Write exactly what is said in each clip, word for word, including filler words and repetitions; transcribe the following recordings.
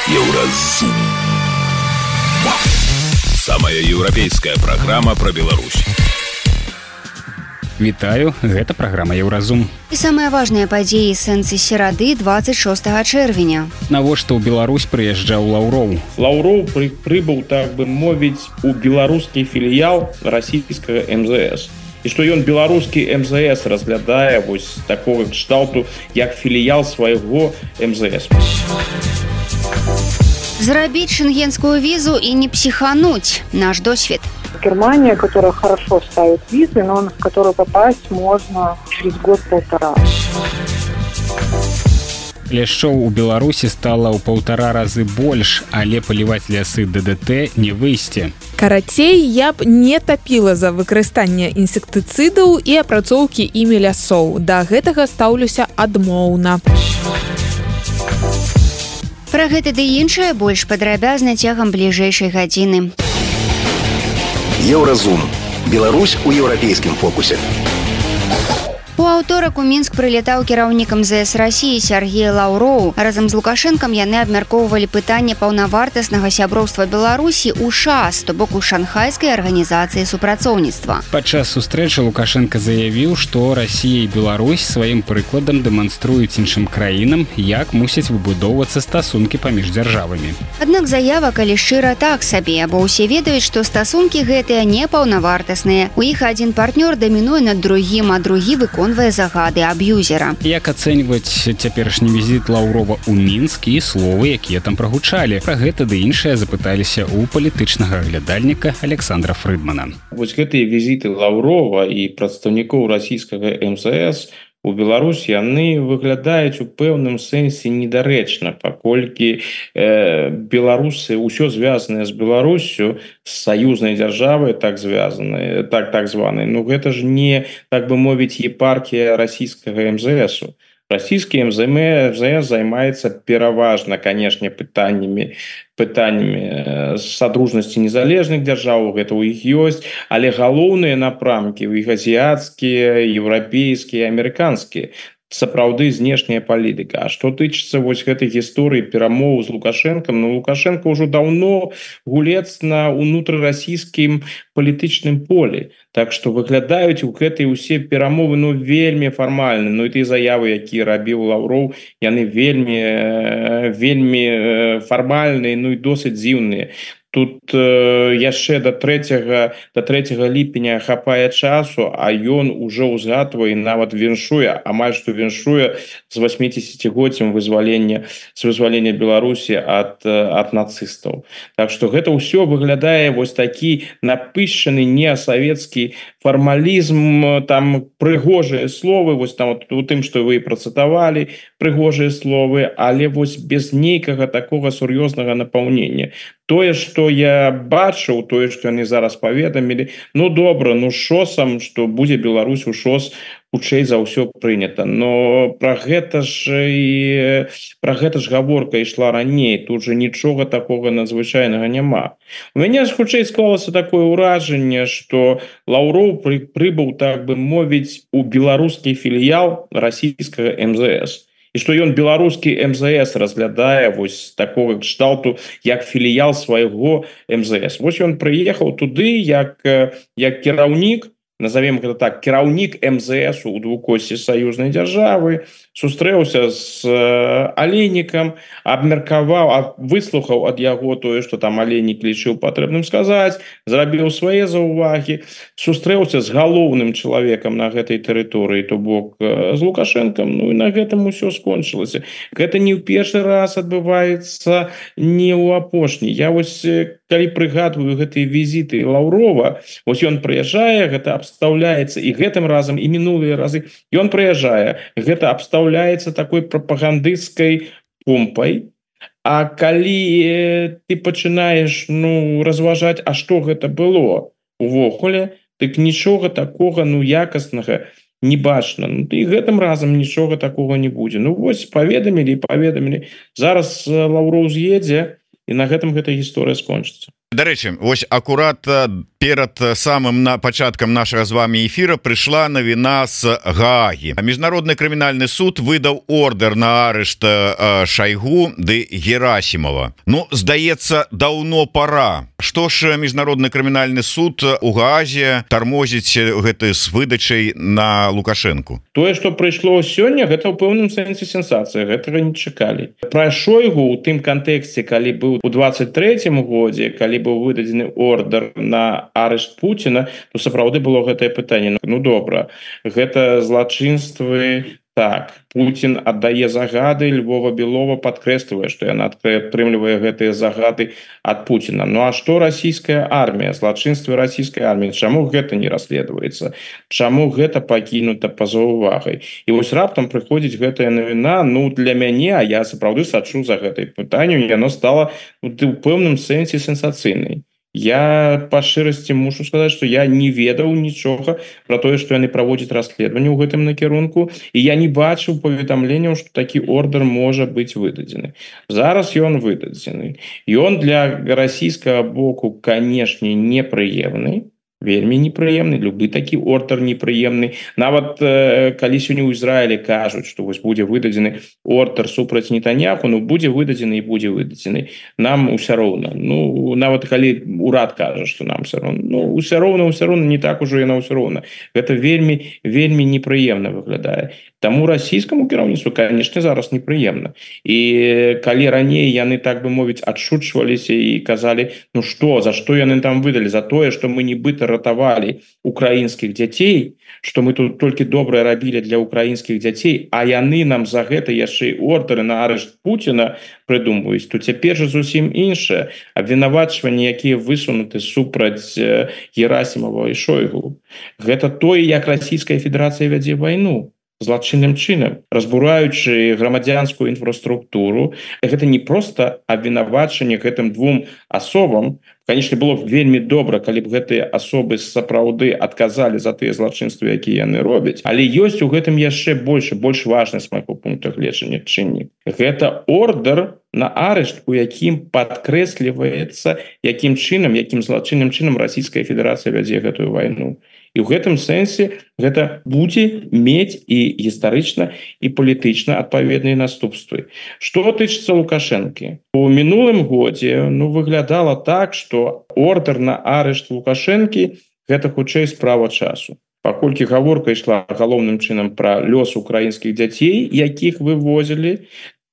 Еўразум. Самая еўрапейская праграма пра Беларусь. Вітаю, гэта праграма Еўразум. І самыя важныя падзеі сэнсы серады двадцать шостага чэрвеня. Навошта ў Беларусь прыязджаў Лаўроў? Лаўроў пры, прыбыў, так бы мовіць, у беларускі філіял расійскага эм зэ эс. І што ён беларускі эм зэ эс разглядае вось такога кшталту, як філіял свайго эм зэ эс. Зрабіць шенгенскую візу і не психануть. Наш досвід. Германия, которая хорошо ставит визы, но в которую попасть можно через год-полтора. Ляшчоў у Беларусі стала ў паўтара разы больш, але паліваць лясы дэ дэ тэ не выйсце. Карацей, я б не тапіла за выкарыстанне інсектыцыдаў і апрацоўкі імі лясоў. Да гэтага стаўлюся адмоўна. Пра гэта ды іншае больш падрабязна цягам бліжэйшай гадзіны. Еўразум. Беларусь у еўрапейскім фокусе. У аўторак у Мінск прылетаў кіраўнік эм зэ эс Расіі Сергей Лаўроў. Разам з Лукашэнкам яны абмяркоўвалі пытанне паўнавартаснага сяброўства Беларусі ў ШАС, то бок у шанхайскай арганізацыі супрацоўніцтва. Падчас сустрэчы Лукашенко заявіў, што Расія і Беларусь сваім прыкладам дэманструюць іншым краінам, як мусяць выбудоўвацца стасункі паміж дзяржавамі. Аднак заява, калі шчыра, так сабе, бо ўсе ведаюць, што стасункі гэтыя не паўнавартасныя. У іх адзін партнёр дамінуе над другім, а другі выконвае загады аб'юзера. Як ацэньваць цяперашні візіт Лаўрова ў Мінск і словы, якія там прагучалі? Пра гэта ды іншае запыталіся ў палітычнага аглядальніка Александра Фрыдмана. Вось гэтыя візіты Лаўрова і прадстаўнікоў расійскага эм зэ эс у Беларусь яны выглядаюць у пэўным сэнсе недарэчна, паколькі э, беларусы ўсё звязанае з Беларуссю, з саюзнай дзяржавай так звязаныя, так так званай. Ну гэта ж не, так бы мовіць, епархія расійскага эм зэ эсу. Расійскі эм зэ эс займаецца пераважна, канешне, пытаннямі пытаннямі садружнасці незалежных дзяржаў, гэта ў іх ёсць, але галоўныя напрамкі ў іх азіяцкія, еўрапейскія, амерыканскія. Сапраўды знешняя палітыка. А што тычыцца вось гэтай гісторыі перамоў з Лукашэнкам, ну Лукашенко ўжо даўно гулец на ўнутрырасійскім палітычным полі. Так што выглядаюць у гэтай усе перамовы ну вельмі фармальна. Ну і тыя заявы, якія рабіў Лаўроў, яны вельмі вельмі фармальныя, ну і досыць дзіўныя. Тут э, яшчэ да трэцяга да трэцяга ліпеня хапае часу, а ён ужо ўзгадвае, нават віншуе, амаль што віншуе з васьмідзесяцігоддзям вызвалення з вызвалення Беларусі ад ад нацыстаў. Так што гэта ўсё выглядае вось такі напышчаны неасавецкі фармалізм, там прыгожыя словы, вось там вот, у тым, што вы працытавалі, прыгожыя словы, але вось без нейкага такога сур'ёзнага напаўнення. Тое, што я бачыў, тое, што яны зараз паведамілі, ну добра, ну шосам, што будзе Беларусь у ШОС, хутчэй за ўсё прынята. Но пра гэта ж і пра гэта ж гаворка ішла раней, тут же нічога такога надзвычайнага няма. У мяне ж хутчэй склалася такое ўражанне, што Лаўроў пры, прыбыў, так бы мовіць, у беларускі філіял расійскага эм зэ эс. І што ён беларускі эм зэ эс разглядае вось такога кшталту, як філіял свайго эм зэ эс. Вось ён прыехаў туды як, як кіраўнік, назовем гэта так, кіраўнік эм зэ эсу у двукосці саюзнай дзяржавы, сустрэўся з Алейнікам, абмеркаваў, выслухаў ад яго тое, што там Алейнік лічыў патрэбным сказаць, зрабіў свае заўвагі, сустрэўся з галоўным чалавекам на гэтай тэрыторыі, то бок з Лукашэнкам, ну і на гэтым усё скончылася. Гэта не ў першы раз адбываецца, не ў апошні. Я вось, калі прыгадваю гэтыя візіты Лаўрова, вось ён прыязджае, гэта абстаўляецца, і гэтым разам, і мінулыя разы, ён прыязджае, гэта абстаўляецца такой прапагандысцкай помпай, а калі ты пачынаеш ну, разважаць, а што гэта было увогуле, дык нічога такога ну якаснага не бачна. Ну, і гэтым разам нічога такога не будзе. Ну вось паведамілі і паведамілі. Зараз Лаўроў з'едзе, і на гэтым гэта гісторыя скончыцца. Дарэчы, вось акурат перад самым на пачаткам нашага з вами эфира прыйшла навіна з Гаагі. Міжнародны крымінальны суд выдаў ордер на арышт Шайгу ды Герасімова. Ну, здаецца, даўно пора. Што ж міжнародны крымінальны суд у Гаазе тармозіць гэты з выдачай на Лукашэнку? Тое, што прыйшло сёння, гэта ў пэўным сэнсе сенсацыя, гэтага не чакалі. Пра Шойгу ў тым кантэксце, калі быў у двадцать трэцім годзе, калі быў выдадзены ордер на арышт Пуціна, то сапраўды было гэтае пытанне. Ну добра, гэта злачынствы. Так, Путін аддае загады, Львова Белова падкрэслівае, што яна атрымлівае гэтыя загады ад Пуціна. Ну а што расійская армія, злачынствы расійскай арміі, чаму гэта не расследуецца? Чаму гэта пакінута па-за увагай? І вось раптам прыходзіць гэтая навіна, ну для мяне, а я сапраўды сачу за гэтай пытанню, яно стала у пэўным сэнсе сенсацыйнай. Я па шчырасці мушу сказаць, што я не ведаў нічога пра тое, што яны праводзяць расследаванне ў гэтым накірунку, і я не бачыў паведамленняў, што такі ордер можа быць выдадзены. Зараз ён выдадзены. Ён для расійскага боку, канешне, непрыемны, вельмі непрыемны, любы такі ордер непрыемны. Нават э, калі сёння ў Ізраілі кажуць, што вось будзе выдадзены ордер супраць Нетаньяху, ну будзе выдадзены і будзе выдадзены. Нам усё роўна. Ну нават калі урад кажа, што нам усё роўна, ну усё роўна, усё роўна, не так ужо яна ўсё роўна. Гэта вельмі вельмі непрыемна выглядае. Таму расійскаму кіраўніцтву, канешне, зараз непрыемна. І калі раней яны, так бы мовіць, адшучваліся і казалі, ну што, за што яны там выдалі? За тое, што мы нібыта ратавалі украінскіх дзяцей, што мы тут толькі добрае рабілі для украінскіх дзяцей, а яны нам за гэта яшчэ ордеры на арышт Пуціна прыдумваюць, то цяпер жа зусім іншае. Абвінавачванні, якія высунуты супраць Герасімова і Шойгу. Гэта тое, як Расійская Федэрацыя вядзе вайну. Злачынным чынам, разбураючы грамадзянскую інфраструктуру. Гэта не проста абвінавачанне гэтым двум асобам. Конечно, было б вельмі добра, калі б гэтыя асобы сапраўды адказалі за тыя злачынствы, якія яны робяць. Але ёсць у гэтым яшчэ больш, больш важны з майго пункту гледжання чыннік. Гэта ордер на арышт, у якім падкрэсліваецца, якім чынам, якім злачынным чынам Расійская Федэрацыя вядзе гэтую вайну. І ў гэтым сэнсе гэта будзе мець і гістарычна, і палітычна адпаведныя наступствы. Што тычыцца Лукашэнкі? У мінулым годзе ну, выглядала так, што ордер на арышт Лукашэнкі гэта хутчэй справа часу. Паколькі гаворка ішла галоўным чынам пра лёс украінскіх дзяцей, якіх вывозілі,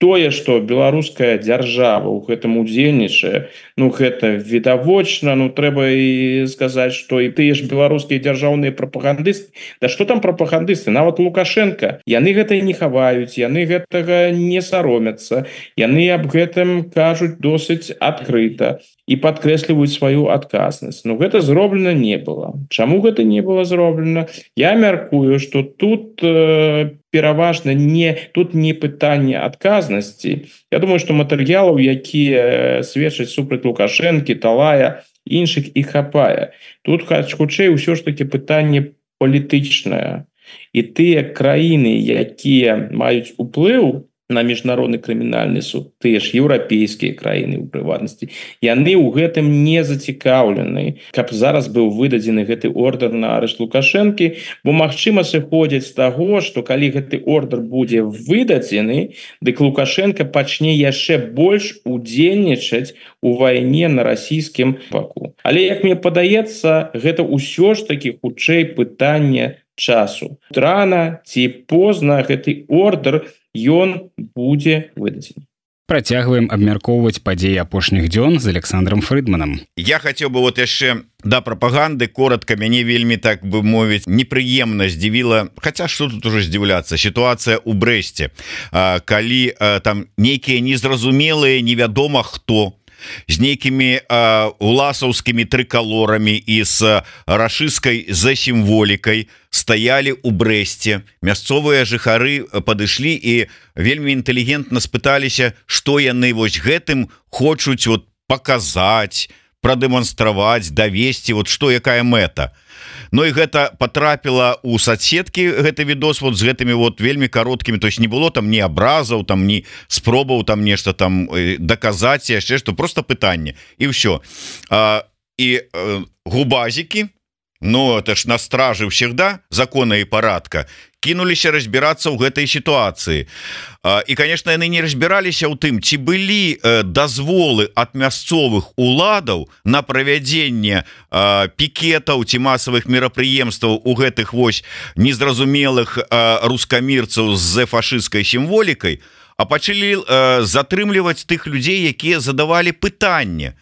тое, што беларуская дзяржава ў гэтым удзельнічае, ну гэта відавочна, ну трэба і сказаць, што і тыя ж беларускія дзяржаўныя прапагандысты, да што там прапагандысты, нават Лукашенко, яны гэта не хаваюць, яны гэтага не саромяцца, яны аб гэтым кажуць досыць адкрыта і падкрэсліваюць сваю адказнасць. Ну гэта зроблена не было. Чаму гэта не было зроблена? Я мяркую, што тут э, пераважна не тут не пытанне адказнасці. Я думаю, што матэрыялаў, якія сведчаць супраць Лукашэнкі, Талая, іншых і хапае. Тут хутчэй ўсё ж таки пытанне палітычнае. І тыя краіны, якія маюць уплыў на міжнародны крымінальны суд, тыя ж еўрапейскія краіны ў прыватнасці, яны ў гэтым не зацікаўлены, каб зараз быў выдадзены гэты ордер на арышт Лукашэнкі, бо магчыма сыходзіць з таго, што калі гэты ордер будзе выдадзены, дык Лукашенко пачне яшчэ больш удзельнічаць у вайне на расійскім баку. Але, як мне падаецца, гэта ўсё ж такі хутчэй пытанне часу. Рана ці позна гэты ордер ён будзе выдадзены. Працягваем абмяркоўваць падзеі апошніх дзён з Александром Фрыдманам. Я хацеў бы вот яшчэ да прапаганды коротко, мяне вельмі, так бы мовіць, непрыемна здзівіла, хаця што тут уже здзіўляцца, сітуацыя ў Брэсце, калі там нейкія незразумелыя, невядома хто з нейкімі уласаўскімі трыкалорамі і з рашысцкай засімволікай стаялі ў Брэсце. Мясцовыя жыхары падышлі і вельмі інтэлігентна спыталіся, што яны вось гэтым хочуць вот паказаць, прадэманстраваць, давесці, вот што якая мэта. Ну і гэта потрапіла у соцсеткі гэты відос вот з гэтымі вот вельмі кароткімі, то есть не было там ні абразаў, там ні спробаў там нешта там даказаць яшчэ што, просто пытанне і ўсё. А, і э, губазікі, ну это ж на стражы всегда закона і парадка, кінуліся разбірацца ў гэтай сітуацыі. І, конечно, яны не разбіраліся ў тым, ці былі дазволы ад мясцовых уладаў на правядзенне пікетаў ці масавых мерапрыемстваў у гэтых вось незразумелых рускамірцаў з фашысцкай сімволікай, а пачалі затрымліваць тых людзей, якія задавалі пытанне.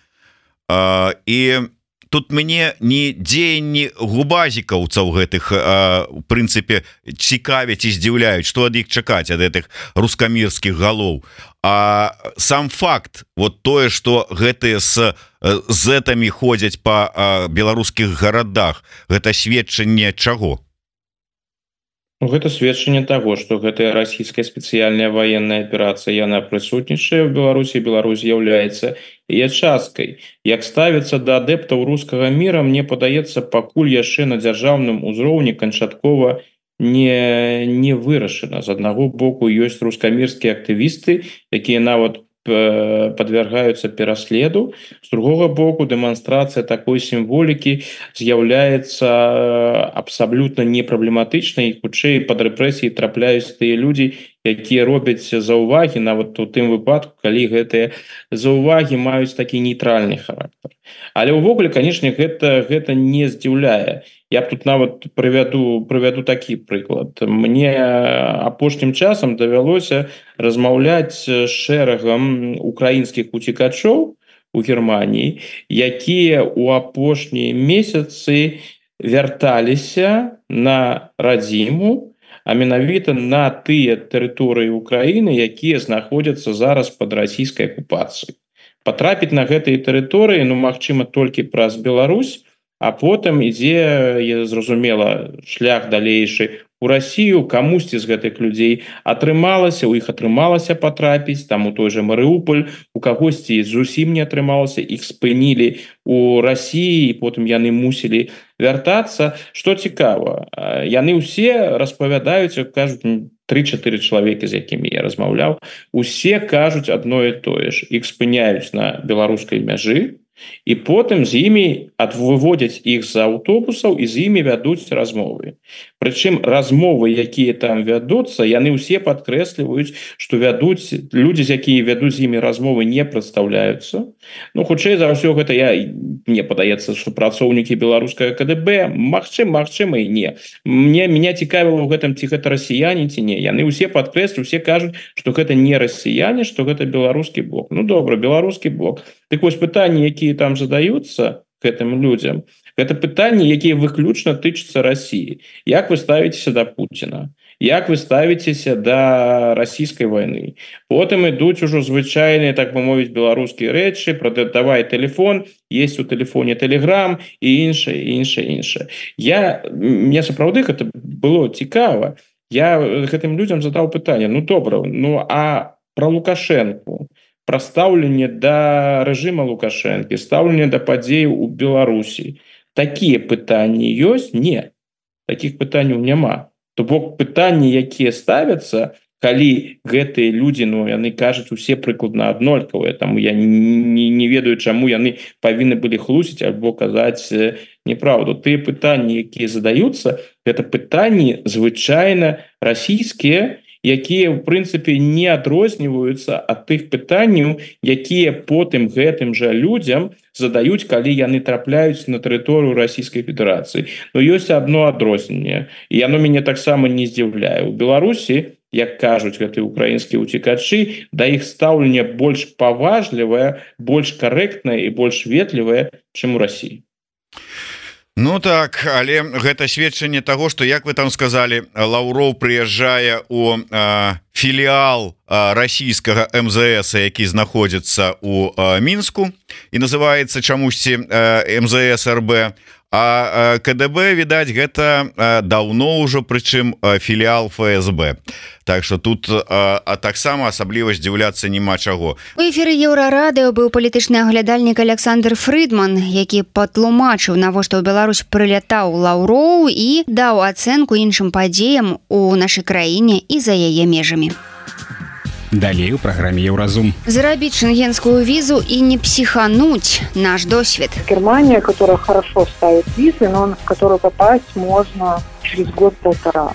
І тут мне не дзеянні губазікаўцаў гэтых у прынцыпе цікавяць і здзіўляюць, што ад іх чакаць ад гэтых рускамірскіх галоў, а сам факт вот тое, што гэтыя з зэтамі ходзяць па беларускіх гарадах, гэта сведчанне чаго? Гэта сведчанне таго, што гэтая расійская спецыяльная ваенная аперацыя, яна прысутнічае ў Беларусі, Беларусь з'яўляецца яе часткай. Як ставіцца да адэптаў рускага міра, мне падаецца, пакуль яшчэ на дзяржаўным узроўні канчаткова не, не вырашана. З аднаго боку ёсць рускамірскія актывісты, якія нават подвергаются пераследу. С другого боку, демонстрация такой символики з'яўляецца абсолютно непроблематичной, и хутчэй под рэпрэсіі трапляюць тыя люди, якія робяць заўвагі, нават у тым выпадку, калі гэтыя заўвагі маюць такі нейтральны характар. Але ўвогуле, конечно, гэта, гэта не здзіўляе. Я б тут нават прывяду, прывяду такі прыклад. Мне апошнім часам давялося размаўляць з шэрагам украінскіх уцекачоў у Германії, якія ў апошнія месяцы вярталіся на радзіму, а менавіта на тыя тэрыторыі Украіны, якія знаходзяцца зараз пад расійскай акупацыяй. Патрапіць на гэтыя тэрыторыі, ну, магчыма, толькі праз Беларусь, а потым ідзе, зразумела, шлях далейшы у Расію. Камусьці з гэтых людзей атрымалася, у іх атрымалася патрапіць, там у той жа Марыуполь, у кагосьці зусім не атрымалася, іх спынілі у Расіі, і потым яны мусілі вяртацца. Што цікава, яны ўсе распавядаюць, кажуць, тры-чатыры чалавекі, з якімі я размаўляў, усе кажуць адно і тое ж. Іх спыняюць на беларускай мяжы, і потым з імі выводзяць іх з аўтобусаў і з імі вядуць размовы. Прычым размовы, якія там вядуцца, яны ўсе падкрэсліваюць, што вядуць людзі, з якія вядуць з імі размовы, не прадстаўляюцца. Ну, хутчэй за ўсё гэта, я, мне падаецца, што працоўнікі беларускага ка дэ бэ, магчым, магчыма і не. Мне, меня цікавіла ў гэтым, ці гэта расіяне, ці не. Яны ўсе падкрэсліваюць, усе кажуць, што гэта не расіяне, што гэта беларускі блок. Ну, добра, беларускі блок. Так вось пытанні, якія там задаюцца гэтым людзям, гэта пытанні, якія выключна тычацца Расіі. Як вы ставіцеся да Пуціна? Як вы ставіцеся да расійскай вайны? Потым ідуць ужо звычайныя, так бы мовіць, беларускія рэчы, прадавай тэлефон, есть у тэлефоне Telegram і іншае, іншае, іншае. Я, мне сапраўды гэта было цікава. Я гэтым людзям задаў пытанне, ну добра, ну а пра Лукашэнку, пра стаўленне да рэжыма Лукашэнкі, стаўленне да падзеяў у Беларусі. Такія пытанні ёсць? Не. Такіх пытанняў няма. То бок пытанні, якія ставяцца, калі гэтыя людзі, ну, яны кажуць усе прыкладна аднолькавыя, таму я не, не ведаю, чаму яны павінны былі хлусіць альбо казаць неправду. Тыя пытанні, якія задаюцца, гэта пытанні звычайна расійскія, якія, в прынцыпе, не адрозніваюцца ад тых пытанняў, якія потым гэтым жа людзям задаюць, калі яны трапляюць на тэрыторыю Расійскай Федэрацыі. Но ёсць адно адрозненне, і яно мяне таксама не здзіўляе. У Беларусі, як кажуць гэтыя украінскія уцекачы, да іх стаўленне больш паважлівае, больш карэктнае і больш ветлівае, чым у Расіі. Ну так, але гэта сведчанне таго, што, як вы там сказалі, Лаўроў прыязджае у э, філіал э, расійскага эм зэ эс, які знаходзіцца ў э, Мінску і называецца чамусьці э, эм зэ эс эр бэ, а КДБ відаць гэта даўно ўжо прычым філіал ФСБ. Так что тут а, а таксама асабліва здзіўляцца няма чаго. У эфіры Еўрарадыё быў палітычны аглядальнік Александр Фрыдман, які патлумачыў, навошта ў Беларусь прылятаў Лаўроў і даў ацэнку іншым падзеям у нашай краіне і за яе межамі. Далей у праграме Еўразум. Зарабіць шенгенскую визу и не психануть. Наш досвед. Германия, которая хорошо ставит визы, но в которую попасть можно через год-полтора.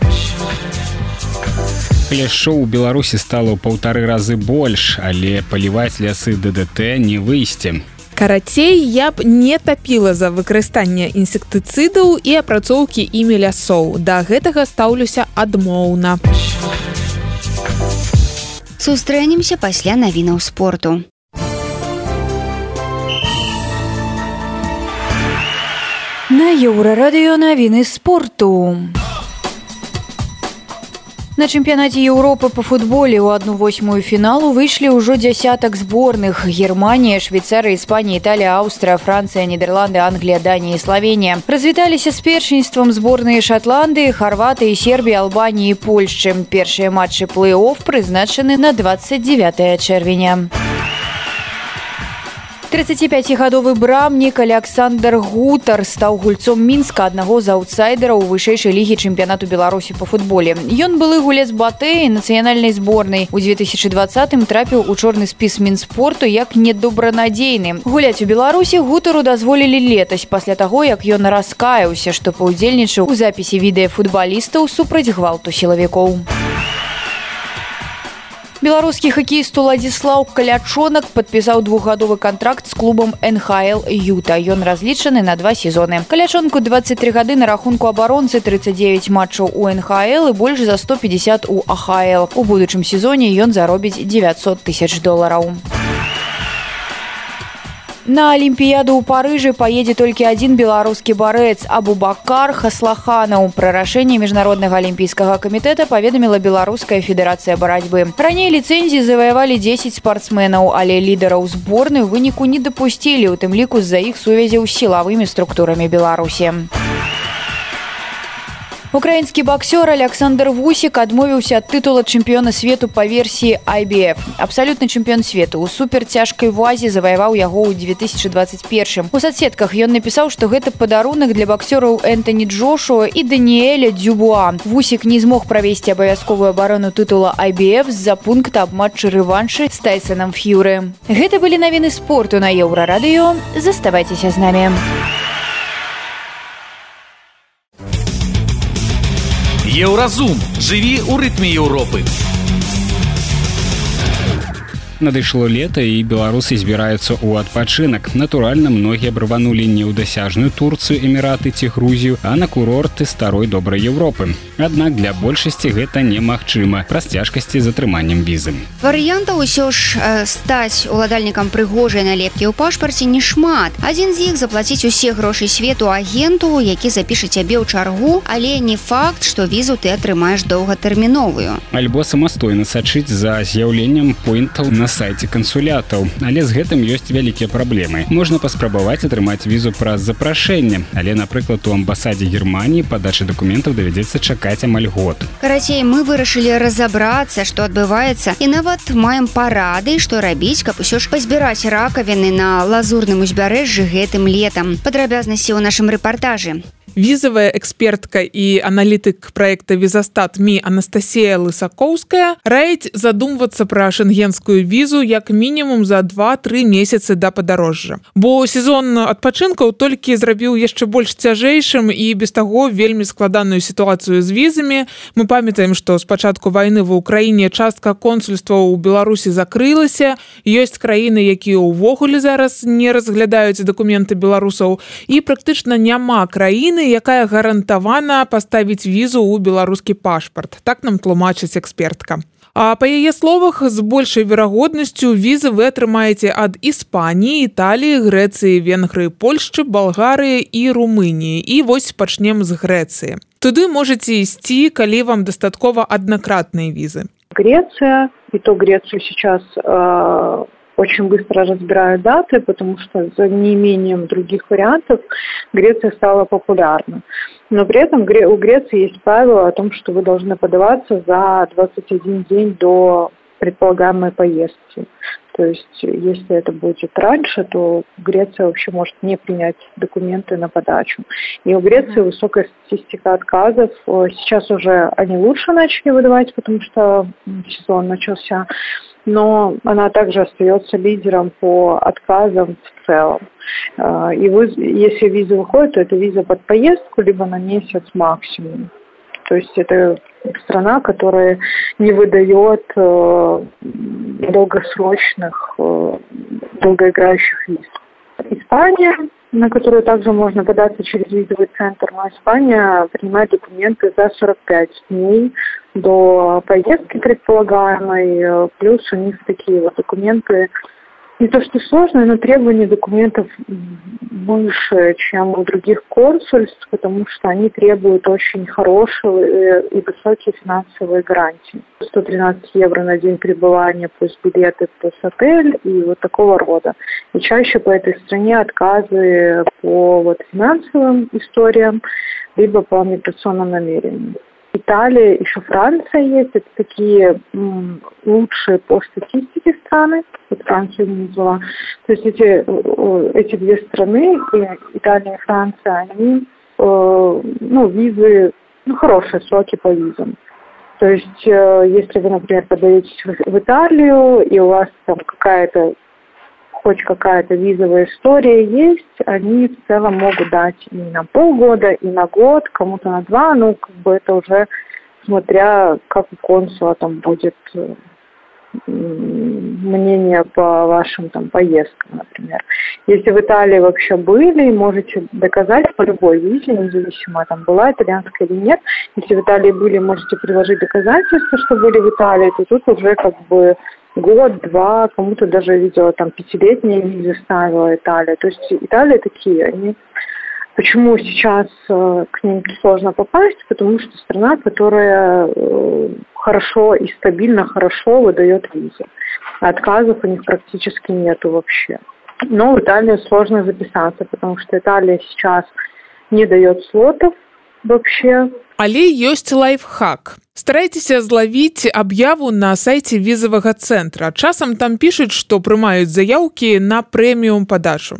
Пляшоў у Беларусі стала ў паўтары разы больш, але паліваць лясы ДДТ не выйсці. Карацей, я б не тапіла за выкарыстанне інсектыцыдаў і апрацоўкі імі лясоў. Да гэтага стаўлюся адмоўна. Сустрэнемся пасля навінаў спорту. На Еўрарадыё навіны спорту. На чэмпіянаце Еўропы па футболе ў адну восьмую фіналу выйшлі ўжо дзясятак зборных. Германія, Швейцарыя, Іспанія, Італія, Аўстрыя, Францыя, Нідерланды, Англія, Данія і Славенія. Развіталіся з першынствам зборныя Шатландыі, Харватыі, Сербіі, Албаніі і Польшчы. Першыя матчы плэй-офф прызначаны на двадцать девятое чэрвеня. тридцатипятигадовы брамнік Александр Гутар стаў гульцом Мінска, аднаго з аўтсайдераў у вышэйшай лігі чэмпіянату Беларусі па футболе. Ён былы гулец Батэі нацыянальнай зборнай. У две тысячи двадцатым трапіў у чорны спіс Мінспорту як недобранадзейны. Гуляць у Беларусі Гутару дазволілі летась, пасля таго, як ён раскаяўся, што паўдзельнічаў у запісе відэа футбалістаў супраць гвалту сілавікоў. Беларускі хакеіст Уладзіслаў Калячонак падпісаў двухгадовы кантракт з клубам эн ха эл Юта. Ён разлічаны на два сезоны. Калячонку двадцать три гады, на рахунку абаронцы тридцать девять матчаў у эн ха эл і больш за сто пятьдесят у а ха эл. У будучым сезоне ён заробіць девятьсот тысяч долараў. На Алімпіяду ў Парыжы паедзе толькі адзін беларускі барэц Абубакар Хаслаханаў. Пра рашэнне міжнароднага алімпійскага камітэта паведаміла Беларуская федэрацыя барацьбы. Раней ліцэнзіі заваявалі дзесяць спартсменаў, але лідараў зборнай у выніку не дапусцілі, у тым ліку з-за іх сувязяў з сілавымі структурамі Беларусі. Украінскі боксёр Александр Вусік адмовіўся ад тытула чэмпіёна свету па версіі ай би эф. Абсалютны чэмпіён свету ў суперцяжкай вазе заваяваў яго ў две тысячи двадцать первым. У соцсетках ён напісаў, што гэта падарунак для боксёраў Энтоні Джошуа і Даніэля Дюбуа. Вусік не змог правесці абавязковую абарону тытула ай би эф з-за пункта аб матчы рэваншы з Тайсонам Ф'юры. Гэта былі навіны спорту на Еўрарадыё. Заставайцеся з намі. Еўразум. Жыві ў рытме Еўропы. Надышло лета, і беларусы збіраюцца ў адпачынак. Натуральна, многія абрыванулі не ў дасяжную Турцыю, Эміраты ці Грузію, а на курорты старой добрай Еўропы. Аднак для большасці гэта немагчыма праз цяжкасці з атрыманнем візы. Варыянтаў усё ж э, стаць уладальнікам прыгожай налепкі ў пашпарце не шмат. Адзін з іх заплаціць усе грошы свету агенту, які запіша цябе ў чаргу, але не факт, што візу ты атрымаеш доўгатэрміновую. Альбо самастойна сачыць за з'яўленнем поінтаў на сайце кансулятаў, але з гэтым ёсць вялікія праблемы. Можна паспрабаваць атрымаць візу праз запрашэнне, але, напрыклад, у амбасадзе Германіі падачы дакументаў давядзецца чакаць амаль год. Карацей, мы вырашылі разабрацца, што адбываецца, і нават маем парады, што рабіць, каб усё ж пазбіраць ракавіны на лазурным узбярэжжы гэтым летам. Падрабязнасці ў нашым рэпартажы. Візавая экспертка і аналітык праекта «Візастат» МИ Анастасія Лысакоўская раіць задумвацца пра шенгенскую візу як мінімум за два-тры месяцы да падарожжа. Бо сезон адпачынкаў толькі зрабіў яшчэ больш цяжэйшым і без таго вельмі складаную сітуацыю з візамі. Мы памятаем, што з пачатку вайны ва ўкраіне частка консульстваў у Беларусі закрылася. Ёсць краіны, якія ўвогуле зараз не разглядаюць дакументы беларусаў, і практычна няма краіны, якая гарантавана паставіць візу ў беларускі пашпарт. Так нам тлумачыць экспертка. А па яе словах, з большай верагоднасцю візы вы атрымаеце ад Іспаніі, Італіі, Грэцыі, Венгрыі, Польшчы, Балгарыі і Румыніі. І вось пачнем з Грэцыі. Туды можаце ісці, калі вам дастаткова аднакратныя візы. Греция, и то Грецию сейчас э, очень быстро разбирают даты, потому что за неимением других вариантов Греция стала популярна. Но при этом у Греции есть правило о том, что вы должны подаваться за двадцать один день до предполагаемой поездки. То есть, если это будет раньше, то Греция вообще может не принять документы на подачу. И у Греции высокая статистика отказов. Сейчас уже они лучше начали выдавать, потому что сезон начался. Но она также остается лидером по отказам в целом. И вы, если виза выходит, то это виза под поездку, либо на месяц максимум. То есть это страна, которая не выдает э, долгосрочных, э, долгоиграющих виз. Испания, на которую также можно податься через визовый центр, но Испания принимает документы за сорок пять дней до поездки предполагаемой, плюс у них такие вот документы, не то что сложные, но требования документов выше, чем у других консульств, потому что они требуют очень хорошие и высокие финансовые гарантии. сто тринадцать евро на день пребывания, плюс билеты, плюс отель и вот такого рода. И чаще по этой стране отказы по вот финансовым историям, либо по миграционным намерениям. Италия, еще Франция есть. Это такие м, лучшие по статистике страны. Вот Францию не назвала. То есть эти, эти две страны, Италия и Франция, они, э, ну, визы, ну, хорошие сроки по визам. То есть, э, если вы, например, подаетесь в, в Италию, и у вас там какая-то, хоть какая-то визовая история есть, они в целом могут дать и на полгода, и на год, кому-то на два, ну, как бы это уже смотря, как у консула там будет мнение по вашим там поездкам, например. Если в Италии вообще были, можете доказать по любой визе, независимо, там была итальянская или нет. Если в Италии были, можете приложить доказательства, что были в Италии, то тут уже как бы год-два, кому-то даже видела там пятилетние визы ставила Италия. То есть Италия такие, они... Почему сейчас э, к ним сложно попасть? Потому что страна, которая э, хорошо и стабильно хорошо выдает визы. Отказов у них практически нету вообще. Но в Италию сложно записаться, потому что Италия сейчас не дает слотов вообще. Але ёсць лайфхак. Старайцеся злавіць аб'яву на сайце візавага цэнтра. Часам там пішуць, што прымаюць заяўкі на прэміум падачу.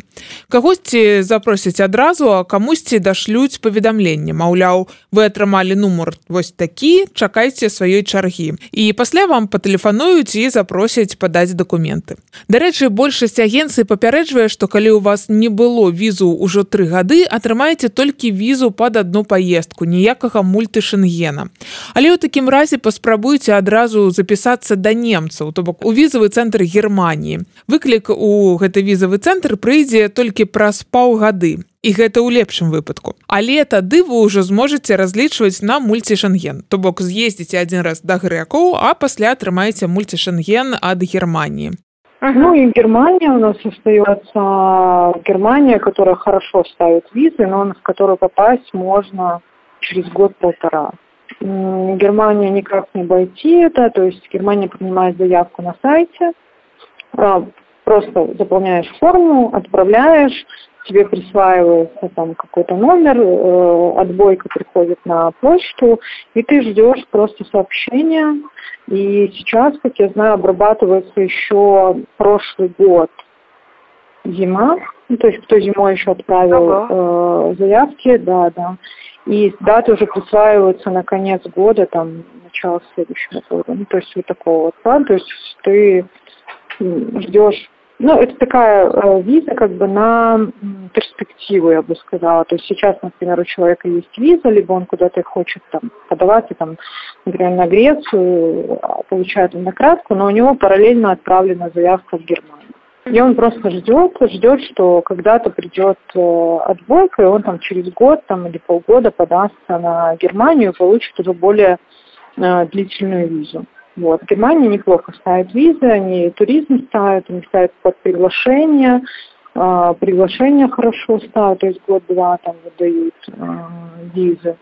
Кагосьці запросяць адразу, а камусьці дашлюць паведамленне. Маўляў, вы атрымалі нумар вось такі, чакайце сваёй чаргі. І пасля вам патэлефануюць і запросяць падаць дакументы. Дарэчы, большасць агенцый папярэджвае, што калі ў вас не было візу ўжо тры гады, атрымаеце толькі візу пад адну паездку, ніякага мультышэнгена. Але ў такім разе паспрабуйце адразу запісацца да немцаў, то бок у візавы цэнтр Германіі. Выклік у гэты візавы цэнтр прыйдзе толькі праз паўгады. І гэта ў лепшым выпадку. Але тады вы ўжо зможаце разлічваць на мультышэнген. То бок з'ездзіце адзін раз да грэкаў, а пасля атрымаеце мультышэнген ад Германии. Ну и Германия у нас остается, Германия, которая хорошо ставит визы, но в которую попасть можно через год-полтора. Германия никак не обойти это, то есть Германия принимает заявку на сайте, просто заполняешь форму, отправляешь, тебе присваивается там какой-то номер, отбойка приходит на почту, и ты ждешь просто сообщения. И сейчас, как я знаю, обрабатывается еще прошлый год зима, ну, то есть кто зимой еще отправил ага. э, заявки, да, да. И даты уже присваиваются на конец года, там, начало следующего года. Ну, то есть вот такого вот плана. То есть ты ждешь. Ну, это такая э, виза как бы на перспективу, я бы сказала. То есть сейчас, например, у человека есть виза, либо он куда-то хочет там подаваться, там, например, на Грецию, получает однократку, но у него параллельно отправлена заявка в Германию. И он просто ждет, ждет, что когда-то придет э, отбойка, и он там через год там, или полгода подастся на Германию и получит уже более э, длительную визу. Вот. В Германии неплохо ставят визы, они туризм ставят, они ставят под приглашение, э, приглашение хорошо ставят, то есть год-два там выдают э, визы.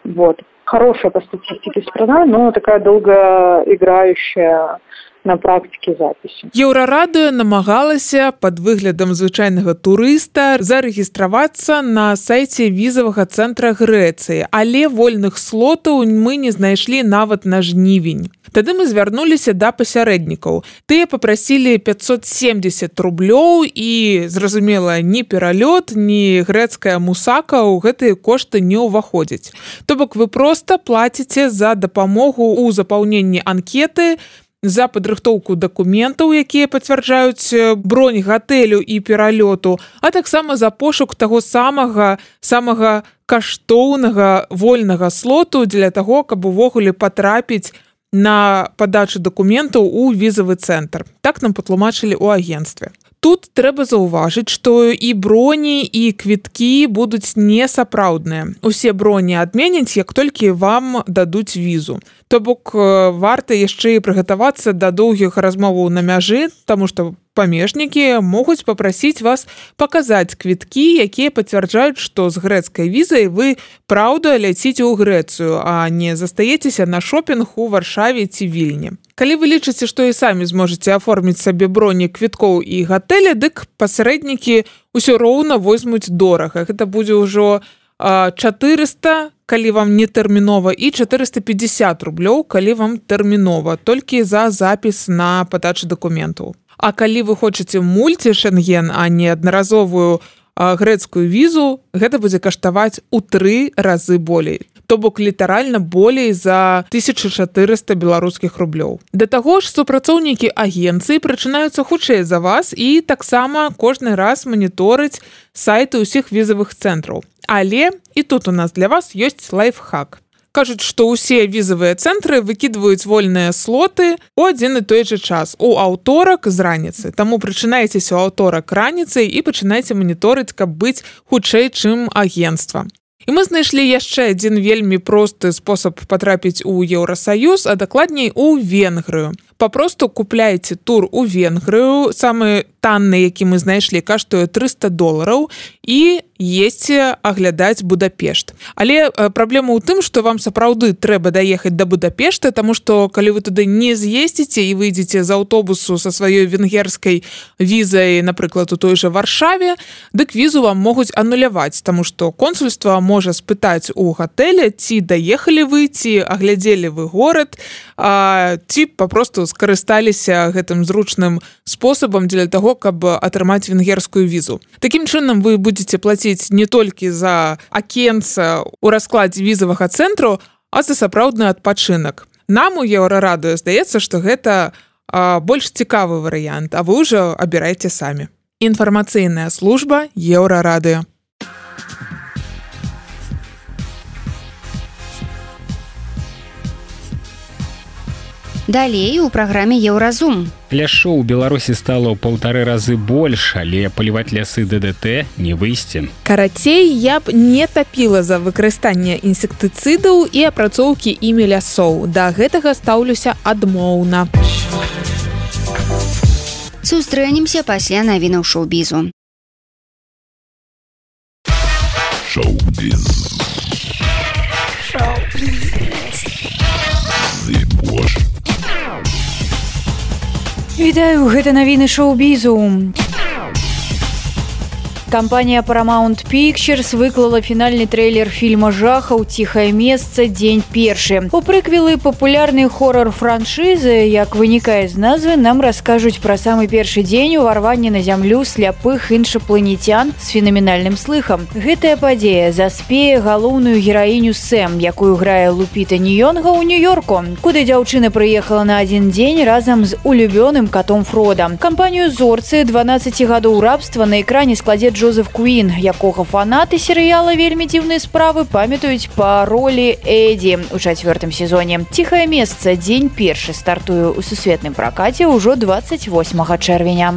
Вот. Хорошая по статистике страна, но такая долгоиграющая на практике записи. Еўрарадыё намагалася пад выглядам звычайнага турыста зарэгістравацца на сайце візавага цэнтра Грэцыі, але вольных слотаў мы не знайшлі нават на жнівень. Тады мы звярнуліся да пасярэднікаў. Тыя папрасілі пятьсот семьдесят рублёў і, зразумела, ні пералёт, ні грэцкая мусака ў гэтыя кошты не ўваходзяць. То бок вы проста плаціце за дапамогу ў запаўненні анкеты, за падрыхтоўку дакументаў, якія пацвярджаюць бронь гатэлю і пералёту, а таксама за пошук таго самага самага каштоўнага вольнага слоту для таго, каб увогуле патрапіць на падачу дакументаў у візавы цэнтр. Так нам патлумачылі ў агенцтве. Тут трэба заўважыць, што і броні, і квіткі будуць несапраўдныя. Усе броні адменяць, як толькі вам дадуць візу. То бок варта яшчэ і прыгатавацца да доўгіх размоваў на мяжы, таму што памежнікі могуць папрасіць вас паказаць квіткі, якія пацвярджаюць, што з грэцкай візай вы праўда ляціце ў Грэцыю, а не застаецеся на шопінг у Варшаве ці Вільні. Калі вы лічыце, што і самі зможаце аформіць сабе броні квіткоў і гатэля, дык пасярэднікі ўсё роўна возьмуць дорага. Гэта будзе ўжо чатырыста, калі вам не тэрмінова, і чатырыста пятьдесят рублёў, калі вам тэрмінова, толькі за запіс на падачу дакументаў. А калі вы хочаце мульці-шэнген, а не аднаразовую грэцкую візу, гэта будзе каштаваць у тры разы болей. То бок літаральна болей за тысяча чатырыста беларускіх рублёў. Да таго ж супрацоўнікі агенцыі прачынаюцца хутчэй за вас і таксама кожны раз маніторыць сайты ўсіх візавых цэнтраў. Але і тут у нас для вас ёсць лайфхак. Кажуць, што ўсе візавыя цэнтры выкідваюць вольныя слоты у адзін і той жа час, у аўторак з раніцы. Таму прачынайцеся ў аўторак раніцай і пачынайце маніторыць, каб быць хутчэй, чым агенцтва. І мы знайшлі яшчэ адзін вельмі просты спосаб патрапіць у Еўрасаюз, а дакладней у Венгрыю. Папросту купляйце тур у Венгрыю, самы танны, які мы знайшлі, каштуе трыста долараў, і едзьце аглядаць Будапешт. Але праблема ў тым, што вам сапраўды трэба даехаць да Будапешта, таму што калі вы туды не з'ездзіце і выйдзеце з аўтобусу са сваёй венгерскай візай, напрыклад, у той жа Варшаве, дык візу вам могуць ануляваць, таму што консульства можа спытаць у гатэля, ці даехалі вы, ці аглядзелі вы горад, а, ці папросту скарысталіся гэтым зручным спосабам для таго, каб атрымаць венгерскую візу. Такім чынам вы будзеце плаціць не толькі за акенца ў раскладзе візавага цэнтру, а за сапраўдны адпачынак. Нам у Еўрарадыё здаецца, што гэта а, больш цікавы варыянт, а вы ўжо абірайце самі. Інфармацыйная служба Еўрарадыё. Далей у праграме Еўразум. Ляшу ў Беларусі стала ў паўтары разы больш, але паліваць лясы ДДТ не выйсці. Карацей, я б не тапіла за выкарыстанне інсектыцыдаў і апрацоўкі імі лясоў. Да гэтага стаўлюся адмоўна. Сустрэнемся пасля навінаў шоу-бізу. Шоу-біз. Шоу-біз. Зыбош. Вітаю, гэта навіны шоу-бізу. Кампанія Paramount Pictures выклала фінальны трэйлер фільма жахаў «Ціхае месца. Дзень першы». У прыквелы папулярнай хорор-франшызы, як вынікае з назвы, нам раскажуць пра самы першы дзень уварвання на зямлю сляпых іншапланецян з фенаменальным слыхам. Гэтая падзея заспее галоўную гераіню Сэм, якую грае Лупіта Ньёнга ў Нью-Йорку, куды дзяўчына прыехала на адзін дзень разам з улюбёным катом Фрода. Кампанію зорцы дванаццаць гадоў рабства на экране складзе Джозеф Куін, якога фанаты серыяла «Вельмі дзіўныя справы» памятаюць па ролі Эдді ў чацвёртым сезоне. «Ціхае месца. Дзень першы» стартуе ў сусветным пракаце ўжо дваццаць восьмага чэрвеня.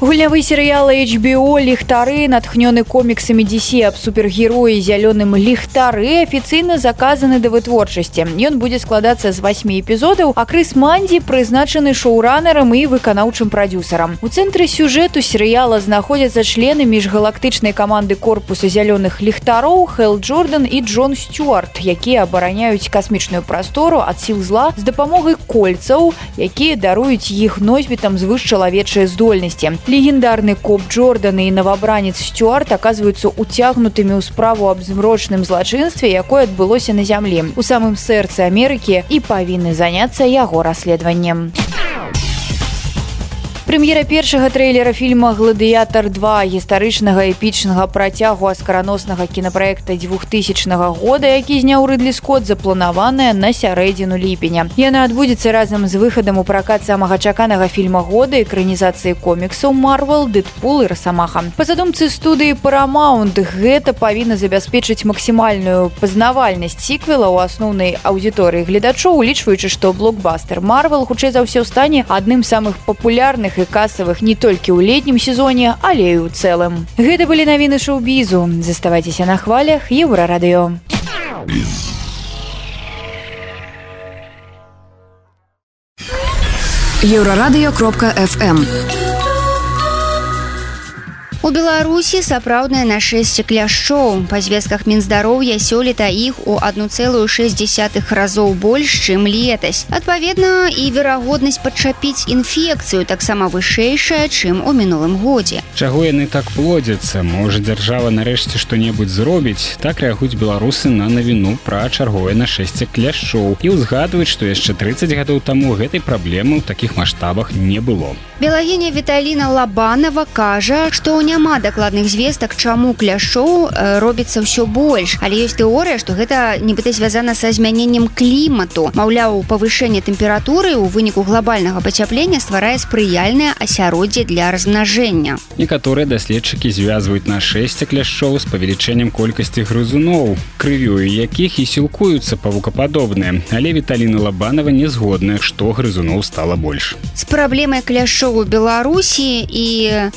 Гульнявы серыял эйч би о «Ліхтары», натхнёны коміксамі ди си аб супергероі зялёным ліхтары, афіцыйна заказаны да вытворчасці. Ён будзе складацца з васьмі эпізодаў, а Крыс Манді прызначаны шоуранерам і выканаўчым прадюсарам. У цэнтры сюжэту серыяла знаходзяцца члены міжгалактычнай каманды корпуса зялёных ліхтароў Хэл Джордан і Джон Стюарт, якія абараняюць касмічную прастору ад сіл зла з дапамогай кольцаў, якія даруюць іх носьбітам звышчалавечыя здольнасці. Легендарны коп Джордан і новобранец Стюарт оказываются уцягнутымі ў справу аб змрочным злачынстве, якое адбылося на зямлі, у самым сэрцы Амерыкі, і павінны заняцца яго расследаваннем. Прэм'ера першага трэйлера фільма «Гладыятар два», гістарычнага эпічнага працягу аскараноснага кінапраекта двухтысячнага года, які зняў Рыдлі Скотт, запланаваная на сярэдзіну ліпеня. Яна адбудзецца разам з выхадам у пракат самага чаканага фільма года, экранізацыі коміксаў «Марвел», «Дэдпул» і «Расамаха». Па задумцы студыі «Парамаунт», гэта павінна забяспечыць максімальную пазнавальнасць сіквела ў асноўнай аўдыторыі гледачоў, улічваючы, што блокбастер «Марвел» хутчэй за ўсё стане адным з самых папулярных і касавых не толькі ў летнім сезоне, але і ў цэлым. Гэта былі навіны шоу-бізу. Заставайцеся на хвалях Еўрарадыё. еўрарадыё кропка эф эм. У Беларусі сапраўднае нашэсце кляшчоў. Па звестках Мінздароўя сёлета іх у адну цэлую шэсць дзесятых разоў больш, чым летась. Адпаведна, і верагоднасць падчапіць інфекцыю таксама вышэйшая, чым у мінулым годзе. Чаго яны так плодзяцца? Можа, дзяржава нарэшце што-небудзь зробіць? Так рэагуюць беларусы на навіну пра чарговае нашэсце кляшчоў і ўзгадваюць, што яшчэ трыццаць гадоў таму гэтай праблемы ў такіх маштабах не было. Белагіня Віталіна Лабанова кажа, што няма дакладных звестак, чаму кляшчоў робіцца ўсё больш. Але ёсць тэорыя, што гэта нібыта звязана са змяненнем клімату. Маўляў, павышэнне тэмпературы ў выніку глобальнага пацяплення стварае спрыяльнае асяроддзе для размнажэння. Некаторыя даследчыкі звязваюць нашэсце кляшчоў з павелічэннем колькасці грызуноў, крывёю якіх і сілкуюцца павукападобныя. Але Віталіна Лабанова не згодная, што грызуноў стала больш. З праблемай кляшчоў у Беларусі і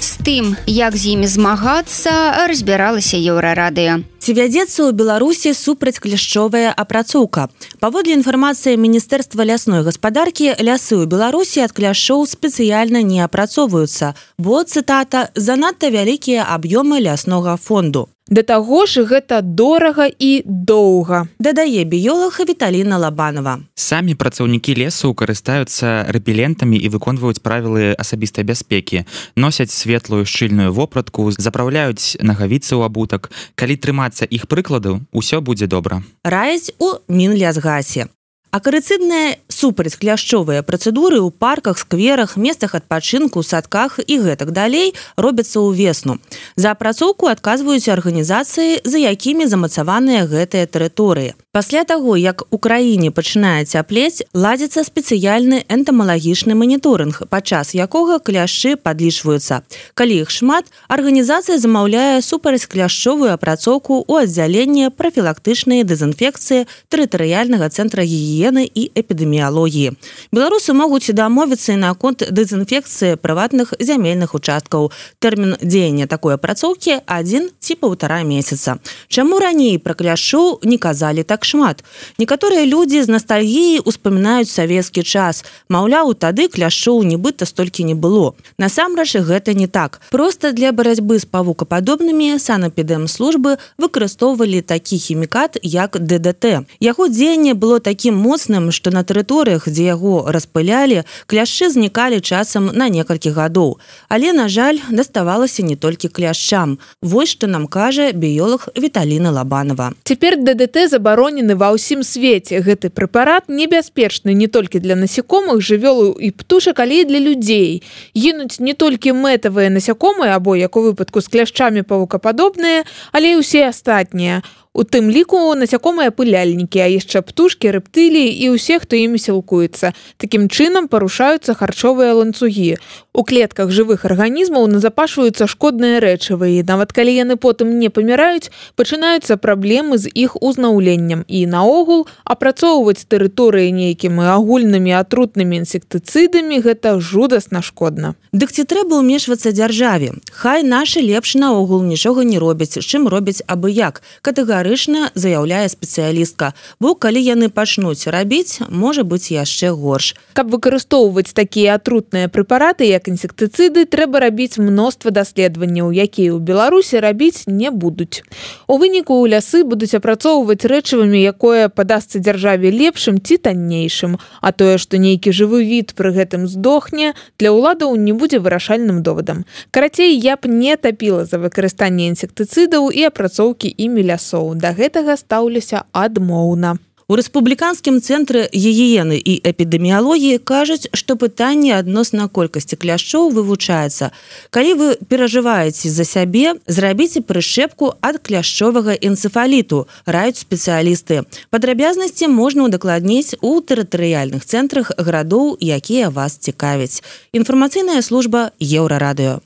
з тым, як з імі змагацца, разбіралася Еўрарадыё. Ці вядзецца ў Беларусі супрацькляшчовая апрацоўка? Паводле інфармацыі Міністэрства лясной гаспадаркі, лясы ў Беларусі ад кляшчоў спецыяльна не апрацоўваюцца, бо, цытата, занадта вялікія аб'ёмы ляснога фонду. Да таго ж гэта дорага і доўга, дадае біёлаг Віталіна Лабанова. Самі працаўнікі лесу карыстаюцца рэпелентамі і выконваюць правілы асабістай бяспекі, носяць светлую шчыльную вопратку, запраўляюць нагавіцы ў абутак. Калі трымацца іх прыкладаў, усё будзе добра. Раяць у Мінлясгасе. Акарыцыдныя супрацькляшчовыя працэдуры ў парках, скверах, месцах адпачынку, садках і гэтак далей робяцца ўвесну. За апрацоўку адказваюць арганізацыі, за якімі замацаваныя гэтыя тэрыторыі. Пасля таго, як у краіне пачынае цяплець, ладзіцца спецыяльны энтамалагічны маніторынг, падчас якога кляшчы падлічваюцца. Калі іх шмат, арганізацыя замаўляе супрацькляшчовую апрацоўку ў аддзяленні прафілактычнай дэзінфекцыі тэрытарыяльнага цэнтра гігіены і эпідэміялогіі. Беларусы могуць дамовіцца і наконт дэзінфекцыі прыватных зямельных участкаў. Тэрмін дзеяння такой апрацоўкі адзін ці паўтара месяца. Чаму раней пра кляшчоў не казалі так шмат? Некаторыя людзі з настальгіяй успамінаюць савецкі час. Маўляў, тады кляшчоў нібыта столькі не было. Насамрэч, гэта не так. Проста для барацьбы з павукападобнымі санэпідэмслужбы выкарыстоўвалі такі хімікат, як дэ дэ тэ. Яго дзеянне было такім моцным, што на тэрыторыях, дзе яго распылялі, кляшчы знікалі часам на некалькі гадоў. Але, на жаль, даставалася не толькі кляшчам. Вось што нам кажа біёлаг Віталіна Лабанова. Цяпер дэ дэ тэ забаронены ва ўсім свеце. Гэты прэпарат небяспечны не толькі для насякомых, жывёл і птушак, але і для людзей. Гінуць не толькі мэтавыя насякомыя, або, як у выпадку з кляшчамі, павукападобныя, але і ўсе астатнія. У тым ліку насякомыя пыляльнікі, а яшчэ птушкі, рэптыліі і ўсе, хто імі сілкуецца. Такім чынам парушаюцца харчовыя ланцугі. У клетках жывых арганізмаў назапашваюцца шкодныя рэчывы, і нават калі яны потым не паміраюць, пачынаюцца праблемы з іх узнаўленнем. І наогул апрацоўваць тэрыторыі нейкімі агульнымі атрутнымі інсектыцыдамі гэта жудасна шкодна. Дык ці трэба ўмешвацца дзяржаве? Хай нашы лепш наогул нічога не робяць, з чым робяць абы як. Катэгарычна заяўляе спецыялістка. Бо калі яны пачнуць рабіць, можа быць яшчэ горш. Каб выкарыстоўваць такія атрутныя прэпараты, як інсектыцыды, трэба рабіць мноства даследаванняў, якія ў Беларусі рабіць не будуць. У выніку ў лясы будуць апрацоўваць рэчывамі, якое падасца дзяржаве лепшым ці таннейшым. А тое, што нейкі жывы від пры гэтым здохне, для ўладаў не будзе вырашальным довадам. Карацей, я б не тапіла за выкарыстанне інсектыцыдаў і апрацоўкі імі лясоў. Да гэтага стаўлюся адмоўна. У рэспубліканскім цэнтры гігіены і эпідэміялогіі кажуць, што пытанне адносна колькасці кляшчоў вывучаецца. Калі вы перажываеце за сябе, зрабіце прышчэпку ад кляшчовага энцэфаліту, раюць спецыялісты. Падрабязнасці можна удакладніць у тэрытарыяльных цэнтрах гарадоў, якія вас цікавяць. Інфармацыйная служба Еўрарадыё.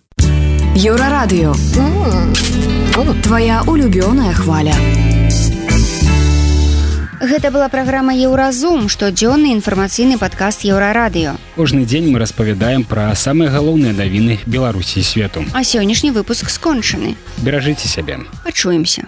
Еўрарадыё. Твая улюбёная хваля. Гэта была праграма «Еўразум», штодзённы інфармацыйны падкаст Еўрарадыё. Кожны дзень мы распавядаем пра самыя галоўныя навіны Беларусі і свету. А сённяшні выпуск скончаны. Беражыце сябе. Пачуемся.